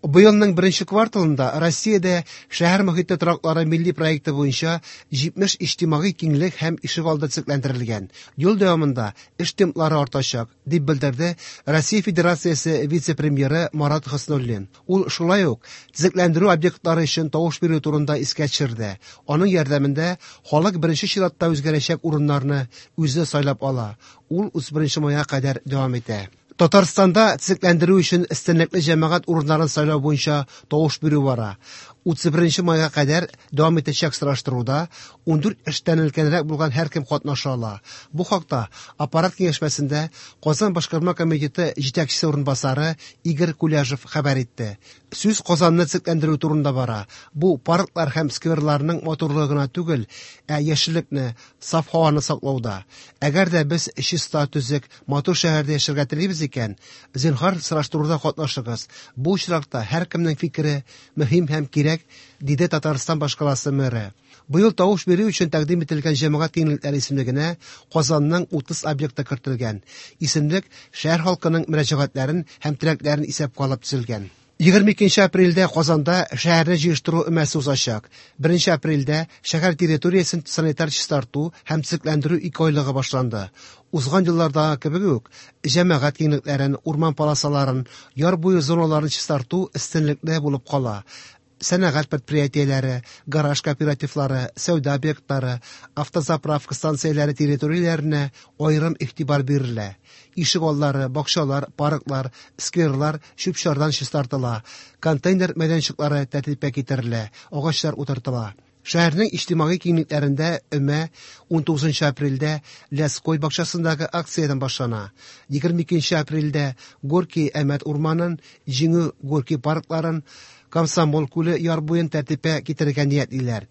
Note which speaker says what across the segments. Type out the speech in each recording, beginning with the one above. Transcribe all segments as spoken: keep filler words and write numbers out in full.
Speaker 1: Быелның беренче кварталында Россиядә шәһәр мохите тораклары милли проекты буенча җитмеш иҗтимагый киңлек һәм ишегалды төзекләндерелгән. Ел дәвамында эш темплары артачак, дип белдерде Россия Федерациясе вице-премьеры Марат Хөснуллин. Ул шулай ук төзекләндерү объектлары өчен тавыш бирү турында искә төшерде. Аның ярдәмендә халык беренче чиратта үзгәрәчәк урыннарны үзе сайлап ала. Ул утыз беренче майга кадәр дәвам итә. Татарстанда төзекләндерү өчен өстенлекле җәмәгать урыннарын сайлау буенча тавыш бирү бара. Утыз беренче майга кадәр дәвам итәчәк сораштыруда ундүрт яшьтән өлкәнрәк булган һәркем катнаша ала. Бу хакта аппарат киңәшмәсендә Казан башкарма комитеты җитәкчесе урынбасары Игорь Куляжев хәбәр итте. Сүз Казанны төзекләндерү турында бара. Бу парклар һәм скверларның матурлыгы гына түгел, ә яшеллекне, саф һаваны саклауда. Әгәр дә без чиста, төзек, матур шәһәрдә яшәргә телибез икән, зинһар сораштыруда катнашыгыз. Бу очракта һәркемнең фикере мөһим һәм кирәк, диде Татарстан башкаласы мэры. Быел тавыш бирү өчен тәкъдим ителгән җәмәгать киңлекләре исемлегенә Казанның утыз объекты кертелгән. Исемлек шәһәр халкының мөрәҗәгатьләрен һәм теләкләрен исәпкә алып төзелгән. Егерме икенче апрельдә Казанда шәһәрне җыештыру өмәсе узачак. Беренче апрельдә шәһәр территориясен санитар чистарту һәм төзекләндерү ике айлыгы башланды. Узган еллардагы кебек үк, җәмәгать киңлекләрен, урман полосаларын, яр буе зоналарын чистарту өстенлекле булып кала. Сәнәгать предприятиеләре, гараж кооперативлары, сәүдә объектлары, автозаправка станцияләре территорияләренә аерым игътибар бирелә. Ишек аллары, бакчалар, парклар, скверлар чүп-чардан чистартыла, контейнер мәйданчыклары тәртипкә китерелә, агачлар утыртыла. Шәһәрнең иҗтимагый киңлекләрендә өмә унтугызынчы апрельдә Ляской бакчасындагы акциядән башлана. Егерме икенче апрельдә Горький Әмәт урманын, Җиңү Горький паркларын, Комсомол күле яр буен тәртипкә китерергә ниятлиләр.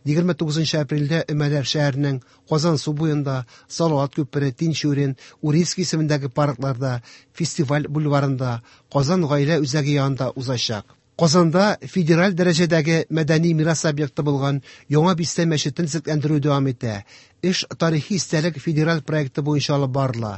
Speaker 1: Егерме тугызынчы апрельдә өмәләр шәһәрнең Казан су буенда, Салават күпере, Тинчурин, Урицкий исемендәге паркларда, Фестиваль бульварында, Казан гаилә үзәге янында узачак. Казанда федераль дәрәҗәдәге мәдәни мирас объекты булган Яңа бистә мәчетен төзекләндерү дәвам итә. Эш тарихи истәлек федераль проекты буенча алып барыла.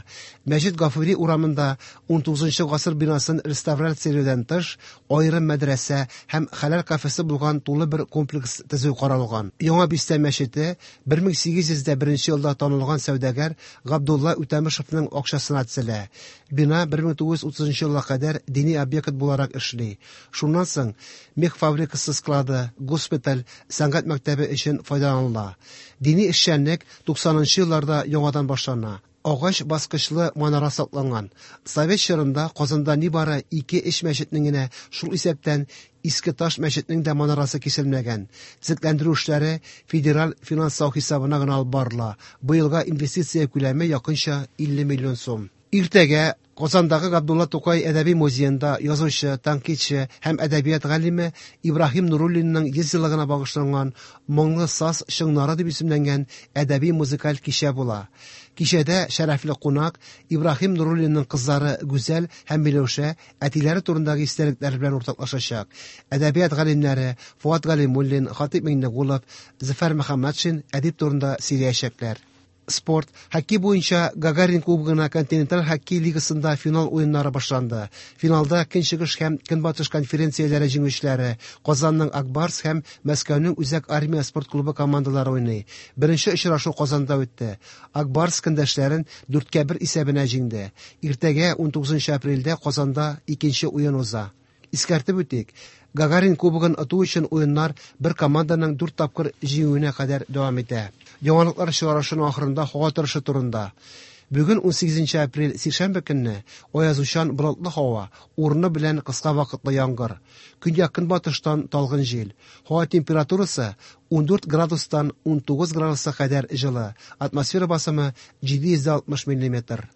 Speaker 1: Мәҗит Гафури урамында унтугызынчы гасыр бинасын реставрацияләүдән тыш, аерым мәдрәсә һәм хәләл кафесы булган тулы бер комплекс төзү каралган. Яңа бистә мәчете бер мең сигез йөз дә беренче елда танылган сәүдәгәр Габдулла Үтәмешевнең акчасына төзелә. Бина бер мең тугыз йөз утызынчы елга кадәр дини объект буларак эшли. Шуннан соң мех фабрикасы склады, госпиталь, сәнгать мәктәбе өчен файдаланыла. Дини эшчәнлек туксанынчы елларда яңадан башлана. Агач баскычлы манара сакланган. Совет чорында Казанда нибары ике эш мәчетнең генә, шул исәптән Иске Таш мәчетнең дә манарасы киселмәгән. Төзекләндерү эшләре федераль финанслау хисабына гына алып барыла. Быелга инвестиция күләме якынча илле миллион сум. Иртәгә Казандагы Габдулла Тукай әдәби музеенда язучы, тәнкыйтьче һәм әдәбият галиме Ибраһим Нуруллинның йөз еллыгына багышланган Моңлы саз чыңнары дип исемләнгән әдәби музыкаль кичә була. Кичәдә шәрәфле кунак Ибраһим Нуруллинның кызлары Гүзәл һәм Миләүшә әтиләре турындагы истәлекләр белән уртаклашачак. Әдәбият галимнәре Фуат Галимуллин, Хатип Миңнегулов, Зөфәр Мөхәммәтшин әдип турында сөйләячәкләр. Спорт. Хоккей буенча Гагарин кубогына континенталь хоккей лигасында финал уеннары башланды. Финалда Көнчыгыш һәм Көнбатыш конференцияләре җиңүчеләре Казанның Акбарс һәм Мәскәүнең Үзәк армия спорт клубы командалары уйный. Беренче очрашу Казанда үтте. Акбарс көндәшләрен дүрткә бер исәбенә җиңде. Иртәгә унтугызынчы апрельдә Казанда икенче уен уза. Искәртеп үтик, Гагарин кубогын оту өчен уеннар бер команданың дүрт тапкыр җиңүенә кадәр дәвам итә. Яңалыклар чыгарышының ахырында һава торышы турында. Бүген унсигезенче апрель сишәмбе көнне аязучан болытлы һава, урыны белән кыска вакытлы яңгыр. Көньяк-көнбатыштан талгын җил. Һава температурасы ундүрт градустан унтугыз градуска кадәр җылы. Атмосфера басымы җиде йөз алтмыш миллиметр.